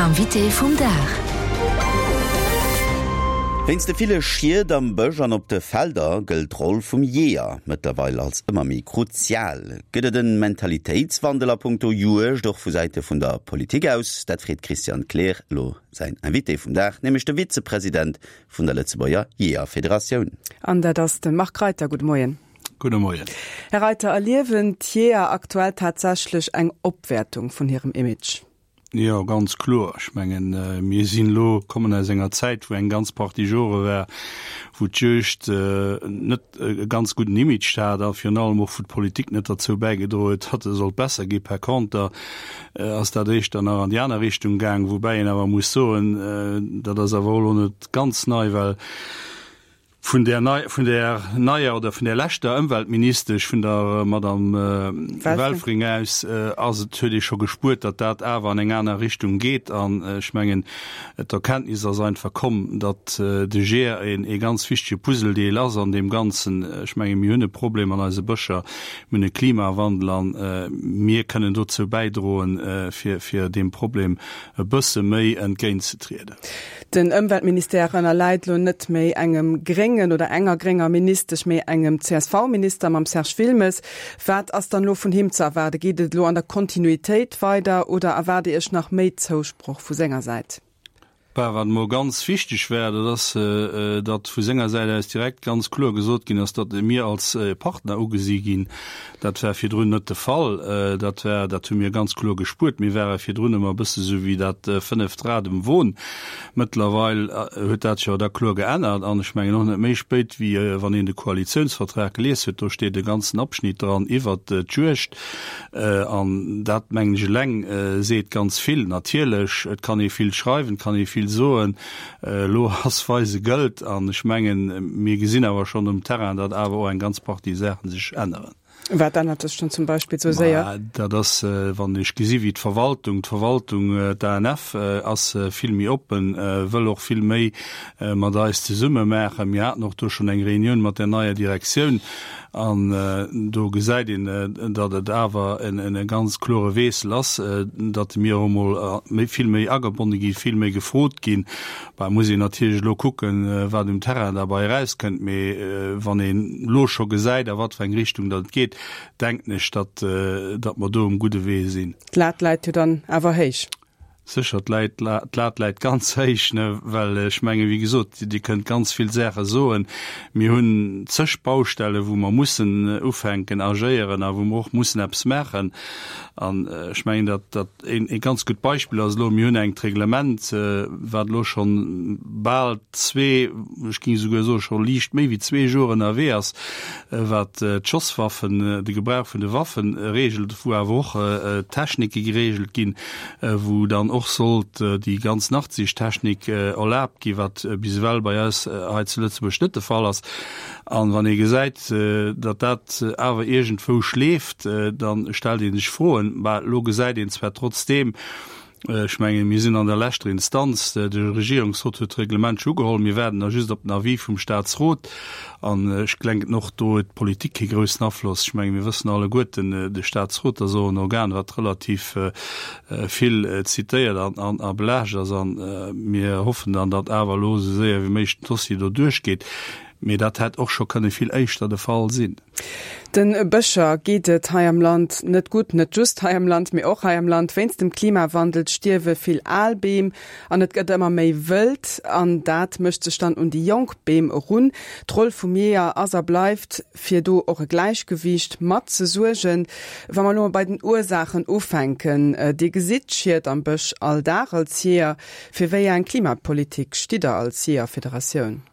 Invité vum Dag. Wéinst de ville Schied am Bësch an op de Felder gëllt d'Roll vum Jeeër mëttlerweil als ëmmer méi kruzial. Gëtt et en Mentalitéitswandel a punkto Juegd och vu Säite vun der Politik aus? Dat freet d'Christiane Kleer elo säin Invité vum Dag, nämlech de Vizepresident vun der Lëtzebuerger Jeeërfederatioun. An dat ass de Marc Reiter. Gudde Moien. Gudde Moien. Här Reiter, erliewen d'Jeeër aktuell tatsächlech eng Opwäertung vun hirem Image? Jo, ganz kloer. Ech mengen, mir sinn elo, kommen aus enger Zäit, wou eng ganz Partie Jore war, wou d'Juegd net e ganz gudden Image hat a virun allem och wou d'Politik net derzou bäigedroe huet, datt e sollt besser ginn. Per conter ass dat éischter nach an déi aner Richtung gaang, woubäi een awer muss soen, dat ass awer och elo net ganz nei, well Vun där nei, vun där neier oder vun där leschter Ëmweltministesch, vun der Madame Welfring aus, ass et, huet ee scho gespuert, datt dat awer an eng aner Richtung geet. An ech mengen, d'Erkenntnis ass einfach komm, datt de GER een ee ganz wichtege Puzzledeel ass an deem Ganzen. Ech menge mir hunn e Problem an eise Bëscher, mir hunn e Klimawandel a mir kënnen dozou bäidroen, fir, fir deem Problem e bësse méi entgéintzetrieden. Den Ëmweltministère ënnerläit elo net méi engem gréngen oder enger grénger Ministesch, mee engem CSV-Minister mam Serge Wilmes. Wat ass dann elo vun him ze erwaarden? Geet et elo an der Kontinuitéit weider oder erwaart Dir Iech nach méi Zousproch vu senger Säit? Bah, wat emol ganz wichteg war, dat ass, datt vu senger Säit aus direkt ganz kloer gesot ginn ass, datt mir als Partner ugesi ginn. Dat war virdrun net de Fall. Dat war, dat hu mir ganz kloer gespuert. Mir ware virdrun ëmmer e bësse sou wéi dat fënneft Rad um Won. Mëttlerweil huet dat sech awer da kloer geännert an ech mengen och net méi spéit wéi wann een de Koalitiounsvertrag gelies huet, do steet e ganzen Abschnitt dran iwwert d'Juegd an dat mengen ech eleng seet ganz vill. Natierlech, et kann ee vill schreiwen, et kann ee vill soen, Elo ass weise gëllt an ech mengen, mir gesinn awer schonn um Terrain, datt awer och eng ganz Partie Saache sech änneren. Wat ännert sech dann zum Beispill esou séier? Ma dat ass, wann ech gesi wéi d'Verwaltung, d'Verwaltung, d'ANF ass vill méi oppen, wëll och vill méi mat eis zesumme maachen. Mir haten och do schonn eng Reunioun mat där neier Direktioun an do gesäit een, datt et awer e ganz klore Wiessel ass, datt mir och emol méi, vill méi agebonne ginn, vill méi gefrot ginn. Bah, muss een natierlech elo kucken, wat um Terrain derbei erauskënnt, mee wann een elo scho gesäit, a wat fir eng Richtung datt et geet, denken ech, datt, datt mer do um gudde Wee sinn. D'Lat läit jo dann awer héich. Sécher, d'Lat läit ganz héich, ne, well ech mengen, wéi gesot, Dir kënnt ganz vill Saache soen. Mir hunn zeg Baustellen, wou mer mussen ufänken agéieren a wou mer och mussen eppes maachen. An ech mengen, datt dat een ee ganz gutt Beispill ass elo, mir hunn engt Reglement, wat elo schonn bal zwee, ech géing esouguer soe scho liicht méi wéi zwee Joer ënnerwee ass, wat d'Schosswaffen, de Gebrauch vun de Waffen regelt, wou awer och d'Technike geregelt ginn, wou dann och sollt déi ganz Nachtsichttechnik erlaabt ginn, wat bis ewell bei eis hei zu Lëtzebuerg net de Fall ass. An wann ee gesäit, datt dat awer iergendwou schleeft, da stellt ee sech Froen. Bah, elo gesäit een zwar trotzdeem, ech mengen, mir sinn an der leschter Instanz, de Regierungsrot huet d'Reglement scho ugeholl, mir waarden da just op den Avis vum Statsrot. An ech glenken och, do huet d'Politik kee groussen Afloss. Ech menge mir wëssen alleguerten, de Statsrot ass och en Organ, wat relativ vill zitéiert an a belaascht ass. A mir hoffen dann, datt awer elo esou séier wéi méiglech den Dossier do duerchgeet. Mee dat hätt och scho kënne vill éischter de Fall sinn. De Bëscher geet et hei am Land net gutt. Net just hei am Land, mee och hei am Land. Wéinst dem Klimawandel stierwe vill al Beem an et gëtt ëmmer méi wëld. An dat mécht sech dann un déi jonk Beem erun. D'Roll vum Jeeër ass a bleift, fir do och e Gläichgewiicht mat ze suergen. Wa mer elo mol bei den Ursaachen ufänken, Dir gesitt d'Schied am Bësch all Dag als Jeeër. Fir wéi eng Klimapolitik stitt Der als Jeeërfederatioun?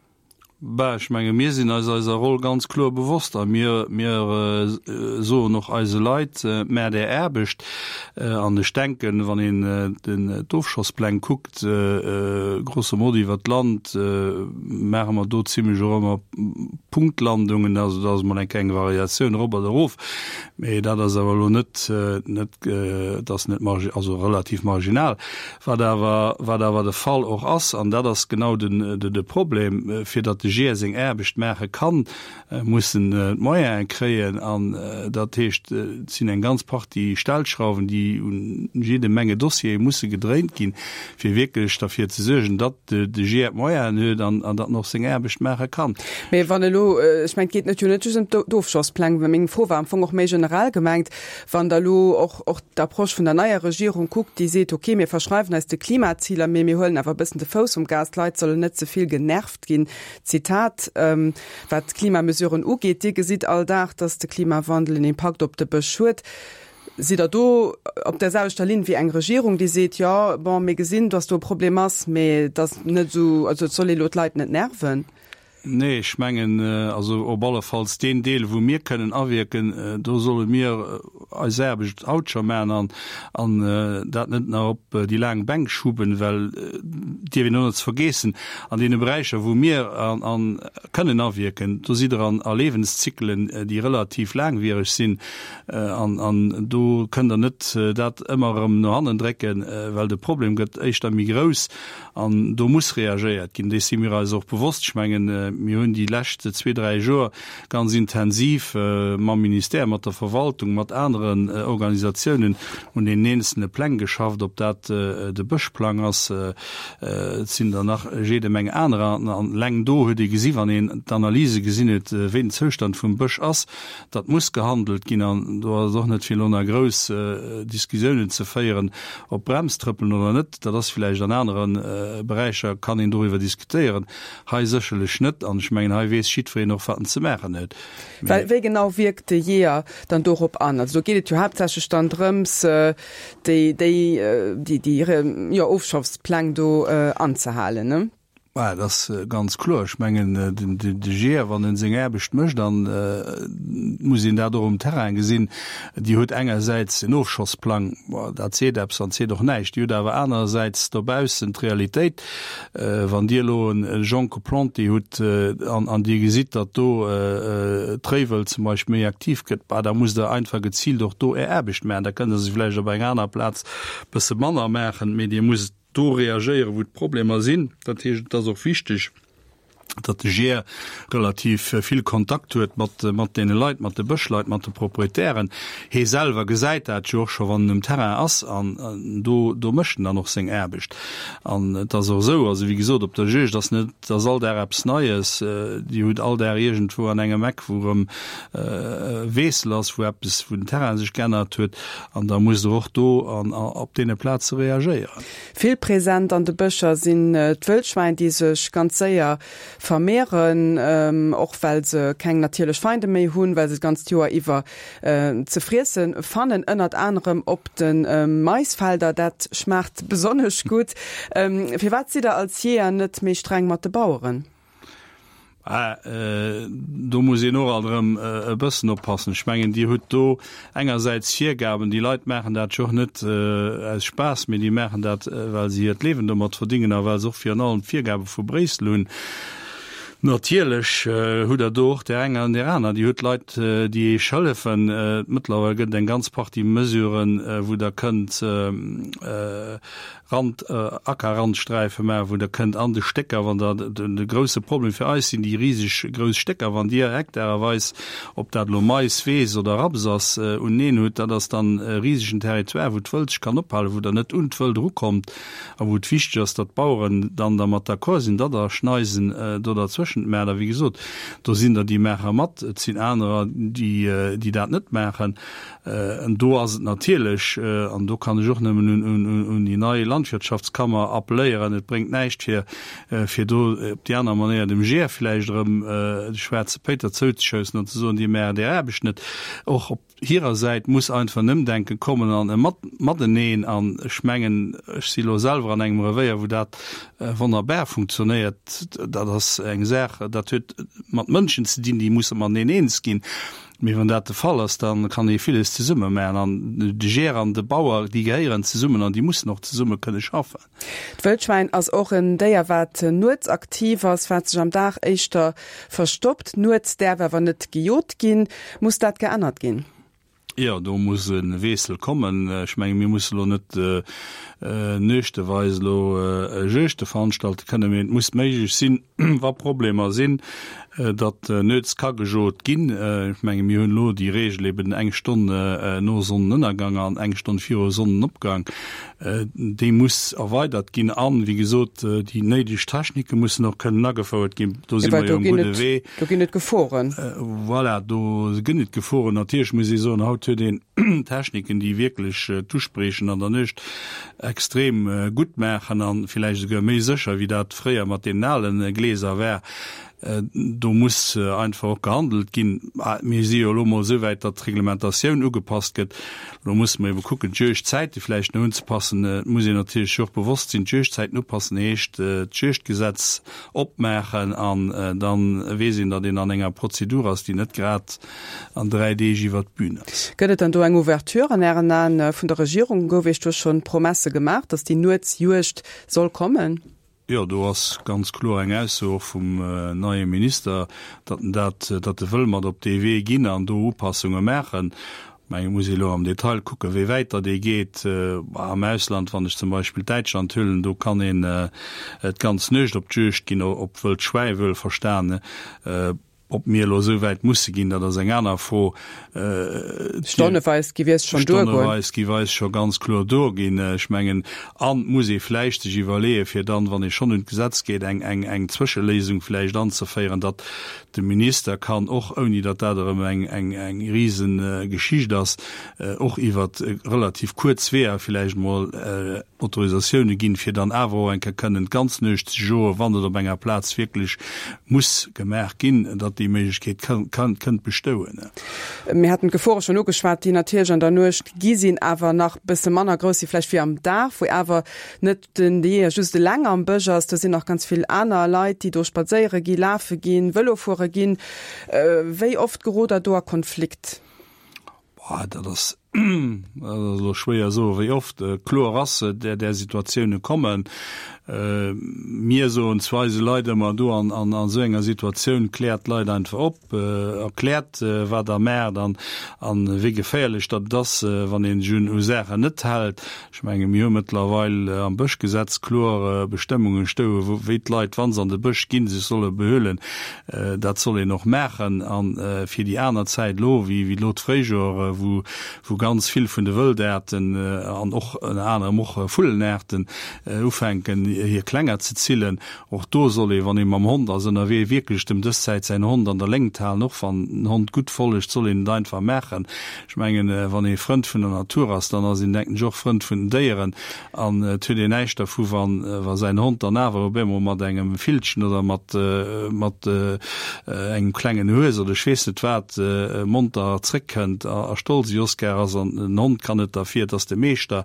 Bah, ech menge mir sinn eis eiser Roll ganz kloer bewosst a mir, mir soen och eise Leit, Maacht Är Aarbecht. An ech denken, wann een den d'Ofschosspläng kuckt, grosso modo iwwert d'Land, maache mer do zimlech och ëmmer Punktlandungen. Also do ass emol eng kleng Variatioun erop oder erof, mee dat ass awer elo net, net, dat ass net margi-, also relativ marginal. Wat awer, wat awer de Fall och ass, an dat ass genau den, de Problem, fir datt de. de GIER seng Aarbecht maache kann, muss en d'Moyene kréien. An dat heescht, et sinn eng ganz Partie Stellschrauwen, déi un jidde Menge Dossiere musse gedréint ginn, fir wierklech derfir ze suergen, datt de GIER d'Moyenen huet an datt en och seng Aarbecht maache kann. Mee wann elo, ech mengen, et geet net jo net just ëm d'Ofschosspläng, mä meng Fro war am Fong och méi generell gemengt, wann Der elo och och d'Approche vun der neier Regierung kuckt, déi seet, okay, mir verschreiwen eis de Klimaziler, mee mir huelen awer e bëssen de Fouss vum Gas, d'Leit sollen net ze vill genervt ginn, Zitat, wat d'Klimamesuren ugeet. Dir gesitt all Dag, dass de Klimawandel en Impakt op de Bësch huet. Sidd Der do op där selwechter Linn wéi eng Regierung, déi seet, jo, bon, mir gesinn, dass do e Problem ass, mee et ass net esou, also et soll ee elo d'Leit net nerven? Nee, ech mengen, also op allefalls deen Deel, wou mir kënnen awierken, do solle mir eis Aarbecht haut scho maachen an an dat net nach op déi laang Bänk schuben, well et dierf een och net ze vergeessen, an deene Beräicher, wou mir an kënnen awierken, do sidd Der an a Lebenszykelen, déi relativ laangwiereg sinn an an do kënnt Der net dat ëmmer erëm no hannen drécken, well de Problem gëtt éischter méi grouss. An do muss reagéiert ginn. Dees si mir eis och bewosst. Ech mengen, mir hunn déi lescht zwee, dräi Joer ganz intensiv mam Ministère, mat der Verwaltung, mat aneren Organisatiounen un deenen eenzelne Pläng geschafft, ob dat de Bëschplang ass, et sinn der nach jede Meng anerer. An eleng do huet ee gesi wann een d'Analyse gesinn huet, wéi den Zoustand vum Bësch ass, datt muss gehandelt ginn. An do ass et och net fir elo nach grouss Diskussiounen ze féieren, ob Brems trëppelen oder net. Dat ass villäicht an anere Beräicher kann een doriwwer diskutéieren, hei sécherlech net. An ech mengen, hei weess jiddwereen och, wat en ze maachen huet. Well wéi genau wierkt de Jeeër dann dorop an? Also do geet et jo haaptsächlech dann drëms, déi, déi, déi, jo, Ofschaffspläng do anzehalen, ne? Bah, et ass ganz kloer. Ech mengen, de GIER, wann en seng Aarbecht mécht, an et muss een dat och um Terrain gesinn, Dir hutt engersäits en Ofschossplang, bon, dat seet eppes an seet och näischt. Dir hutt awer anerersäits dobaussen d'Realitéit, wann Dir elo e Jonque planté hutt an Dir gesitt, datt do d'Réiwëld zum Beispill méi aktiv gëtt, bah, da musst Der einfach geziilt och do Är Aarbecht maachen. Da kënnt Der se vläicht op enger aner Plaz e bësse manner maachen, mee Dir musst do reagéieren, wou d'Problemer sinn. Dat heescht, et ass och wichteg, datt de GIER relativ vill Kontakt huet mat, mat deene Leit, mat de Bëschleit, mat de Proprietären. Hee selwer gesäit dat jo och scho, wann en um Terrain ass, an do, do mécht en dann och seng Aarbecht. An et ass och esou, also wéi gesot, op der Juegd ass net, et ass all Dag eppes Neies. Dir hutt all Dag iergendwou an engem Eck, wou erëm e Wiessel ass, wou eppes, wou den Terrain sech geännert huet. An da musst Der och do an op deene Plaze reagéieren. Vill present an de Bëscher sinn d'Wëllschwäin, déi sech ganz séier vermehren, och well se keng natierlech Feinde méi hunn, well se d'ganzt Joer iwwer ze friessen fannen, ënnert anerem op de Maisfelder. Dat schmaacht besonnesch gutt. Firwat sidd Der als Jeeër net méi streng mat de Baueren? Ah, do muss een och alt erëm e bëssen oppassen. Ech mengen, Dir hutt do engersäits Virgaben, déi Leit maachen dat jo och net aus Spaass, mee déi maachen dat, well se hiert Liewen domat verdingen a well se och virun allem d'Virgabe vu Bréissel hunn. Natierlech hutt Der do och där eng an där aner. Dir hutt Leit, déi Iech hëllefen. Mëttlerweil gëtt et eng ganz Partie Mesuren, wou Der kënnt Rand, Ackerrandsträife maachen, wou Der kënnt an de Stécker, wann Der, de grousse Problem fir eis sinn déi riseg grouss Stécker, wann Dir hektareweis, ob dat elo Mais, Weess oder Raps ass, uneneen hutt, dat ass dann e risegen Territoire, wou d'Wëld sech kann ophalen, wou Der net un d'Wëld erukommt a wou et wichteg ass, datt d'Baueren dann dermat d'accord sinn, datt Der Schneisen do derzwëschent maacht. A wéi gesot, do sinn der, déi maache mat, et sinn anerer, déi, déi dat net maachen. An do ass et natierlech, an do kann ech och nëmmen un déi nei Landwirtschaftskammer appelléieren, et bréngt näischt fir fir do op déi aner Manéier dem GER vläicht erëm de schwaarze Péiter zouzeshoussen an ze soen, Dir maacht Är Aarbecht net. Och op hirer Säit muss einfach en Ëmdenke kommen an e Mateneen. An ech mengen, ech si elo selwer an engem Revéier, wou dat wonnerbar funktionéiert. Dat ass eng Saach, dat huet mat Mënschen ze dinn, déi musse mateneen eens ginn. Mee wann dat de Fall ass, da kann ee villes zesumme maachen. An de Jeeër an de Bauer, déi gehéieren zesummen an déi mussen och zesumme kënne schaffen. D'Wëllschwäin ass och en Déier, wat nuets aktiv ass, wat sech am Dag éischter verstoppt. Nuets däerf awer net gejot ginn. Muss dat geännert ginn? Jo, do muss e Wiessel kommen. Ech menge mir musse lo net nuechteweis elo Juegte veranstalte kënnen, mee et muss méiglech sinn, wa Problemer sinn, datt nuets ka gejot ginn. Ech menge mir hunn elo déi Regel eben eng Stonn no Sonnenënnergang an eng Stonn viru Sonnenopgang. Déi muss erweidert ginn an, wéi gesot, déi néideg Technike mussen och kënnen agefouert ginn. Do si mer jo um gudde Wee. Do ginn et Geforen. Voilà, do gënn et Geforen. Natierlech muss ee soen, haut huet een Techniken, déi wierklech d'Uspriechen an der Nuecht extrem gutt maachen a villäicht esouguer méi sécher, wéi dat fréier mat deenen ale Gläser war. Do muss einfach och gehandelt ginn. Mir si jo elo emol esou wäit, datt d'Reglementatioun ugepasst gëtt. Elo musse mer ebe kucken, d'Juegdzäite vläicht nach unzepassen. Et muss een natierlech sech och bewosst sinn, d'Juegdzäiten upassen heescht d'Juegdgesetz opmaachen an da weess een, datt een an enger Prozedur ass, déi net grad an 3 Deeg iwwert d'Bün ass. Gëtt et dann do eng Ouverture an Ären Aen vun der Regierung? Gouf Iech do schonn Promesse gemaach, datt déi Nuetsjuegd soll kommen? Jo, do ass ganz kloer eng Ausso och vum neie Minister, datt en dat, datt e wëll mat op dee Wee ginn an do Upassunge maachen. Mä et muss ee elo am Detail kucken, wéi wäit datt ee geet. Am Ausland, wann ech zum Beispill Däitschland huelen, do kann een d'ganz Nuecht op d'Juegd ginn, op wëllt Schwäi wuel verstane. Ob mir elo esou wäit musse ginn, dat ass eng aner Fro. Stonneweis gi eis schonn duergoen. Stonneweis gi eis scho ganz kloer duerginn. Ech mengen, an et muss ee vläicht sech iwwerleeën, fir dann, wann ee schonn un d'Gesetz geet, eng, eng, eng Zwëscheléisung vläicht anzeféieren, datt de Minister kann och, ouni datt dat erëm eng, eng, eng Risegeschicht ass, och iwwer relativ kuerz Weeër vläicht emol Autorisatioune ginn, fir dann awer och eng Kéier kënnen d'ganz Nuecht ze joen, wann et op enger Plaz wierklech muss gemaach ginn, datt déi Méiglechkeet kënnt bestouen. Mir haten d'Gefore schonn ugeschwat, déi natierlech an der Nuecht gi sinn, awer nach e bësse manner grouss si vläicht wéi am Dag, wou awer net den Jeeër just eleng am Bësch ass. Do sinn nach ganz vill aner Leit, déi do spadséiere ginn, lafe ginn, Vëlo fuere ginn. Wéi oft gerot Der do a Konflikt? Boah, dat ass, dat ass elo schwéier soen, wéi oft. Kloer ass, där, där Situatioune kommen. Mir soen zu eise Leit ëmmer do an, an esou enger Situatioun, kläert d'Leit einfach op, erkläert, wat Der maacht an, an wéi geféierlech datt et ass, wann ee sech un u Saachen net hält. Ech menge mir hu mëttlerweil am Bëschgesetz kloer Bestëmmunge stoe wou wéi d'Leit, wa se an de Bësch ginn, sech solle behuelen. Dat soll een och maachen. A fir déi aner Zäit elo, wéi wéi elo d'Fréijoer, wou wou ganz vill vun de Wëldaarten an och ënner anerem och Vullenaarten ufänken hir Klenger ze zillen, Och do soll ee, wann ee mam Hond ass ënnerwee, wierklech dem dës Zäit säin Hond an der Léngt halen. Och wann den Hond gutt follegt, soll een et einfach maachen. Ech mengen, wann ee Frënd vun der Natur ass, dann ass een, denken ech, och Frënd vun den Déieren. An et huet een näischt dervu, wann, wa säin Hond dann awer op eemol mat engem Villchen oder mat, mat engem klengen Hues oder ech weess net wat monter zréckkënnt a stolz ewéi Oscar ass. An den Hond kann net derfir, et ass de Meeschter.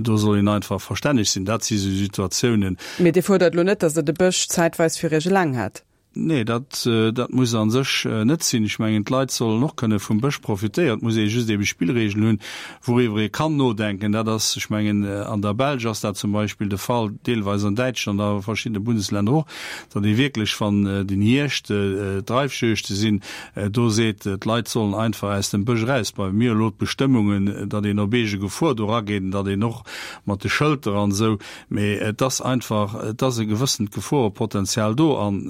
Do soll een einfach verstänneg sinn. Dat si sou Situatiounen. Mee Dir fuerdert elo net, datt Der de Bësch zäitweis fir Iech eleng hätt? Nee, dat, dat muss a sech net sinn. Ech mengen, d'Leit sollen och kënne vum Bësch profitéieren. Et muss ee just ebe Spillregeln hunn, wouriwwer ee kann nodenken. Dat ass, ech mengen, an der Belsch ass dat zum Beispill de Fall, deelweis an Däitschland a verschiddene Bundeslänner och, datt ee wierklech, wann den Hierscht d'Reifjuegte sinn, do seet, d'Leit sollen einfach aus dem Bësch eraus. Bei mir elo d'Bestëmmungen, datt een op eege Gefor do erageet an datt een och mat de Schëlter an esou, Mee et ass einfach, et ass e gewëssent Geforepotenzial do. An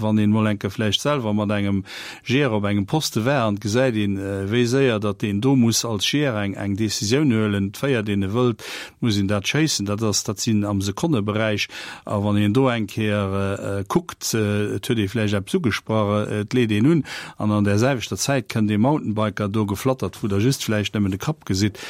wann een emol eng Kéier vläicht selwer mat engem Jeeër op engem Poste war an et gesäit een, wéi séier datt deen do muss als Jeeër eng, eng Décisioun huelen, et féiert een e Wëld, et muss een dat schéissen, dat ass, dat sinn am Sekonneberäich. A wann een do eng Kéier kuckt, et huet ee vläicht eppes ugesprach, et leet een un an an där selwechter Zäit kënnt ee Mountainbiker do geflattert, wou Der just vläicht nëmmen de Kapp gesitt,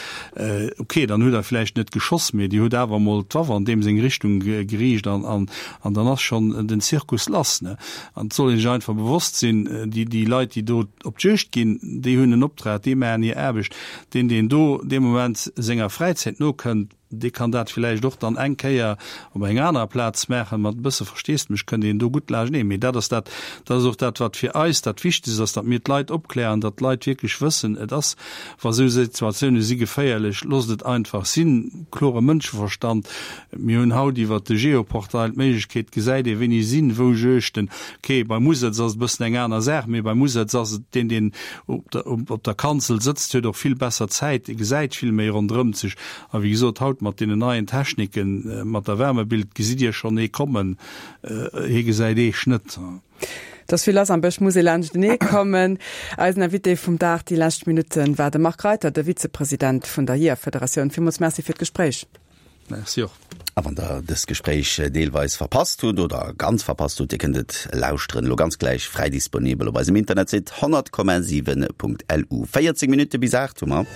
Ok, dann hutt Der vläicht net geschoss, mee Dir hutt awer emol d'Waff an deem seng Richtung geriicht an, an, an dann ass schonn den Zirkus lass. Ne? An et soll ee sech einfach bewosst sinn, déi, déi Leit, déi do op d'Juegd ginn, déi hunn en Optrag, déi maachen hir Aarbecht. Deen, deen do dee Moment senger Fräizäit nokënnt, Dee kann dat villäicht och dann eng Kéier op enger anerer Plaz maachen. Mat e bësse Versteesdemech kënnt een do gutt laanschteneen. Mee dat ass dat, dat ass och dat, wat fir eis dat Wichtegst ass, datt mir d'Leit opklären, datt d'Leit wierklech wëssen, et ass, wa sou Situatioune si geféierlech, loosst et einfach sinn. Klore Mënscheverstand. Mir hunn haut iwwert de Geoportail d'Méiglechkeet, gesäit ee wéini sinn wou Juegten. Ok, beim Usëtz ass et e bëssen eng aner Saach, mee beim Usëtz ass et deen, deen op der, op der Kanzel sëtzt, huet och vill besser Zäit, e gesäit vill méi ronderëmt sech. A wéi gesot, haut mat deenen neien Techniken, mat der Wärmebild, gesitt Dir schonn ee kommen, hie gesäit Eech net. Et ass vill lass am Bësch, muss ee laanschtenee kommen. Eisen Invité vum Dag déi lescht Minutten war de Marc Reiter, de Vizepresident vun der Jeeërfederatioun. Villmools Merci fir d'Gespréich. Merci och. A wann der dëst Gespréich deelweis verpasst hutt oder ganz verpasst hutt, Dir kënnt et lauschteren elo ganz gläich fräi disponibel op eisem Internetsite 100,7.lu. 14 Minutte bis 8 hu mer.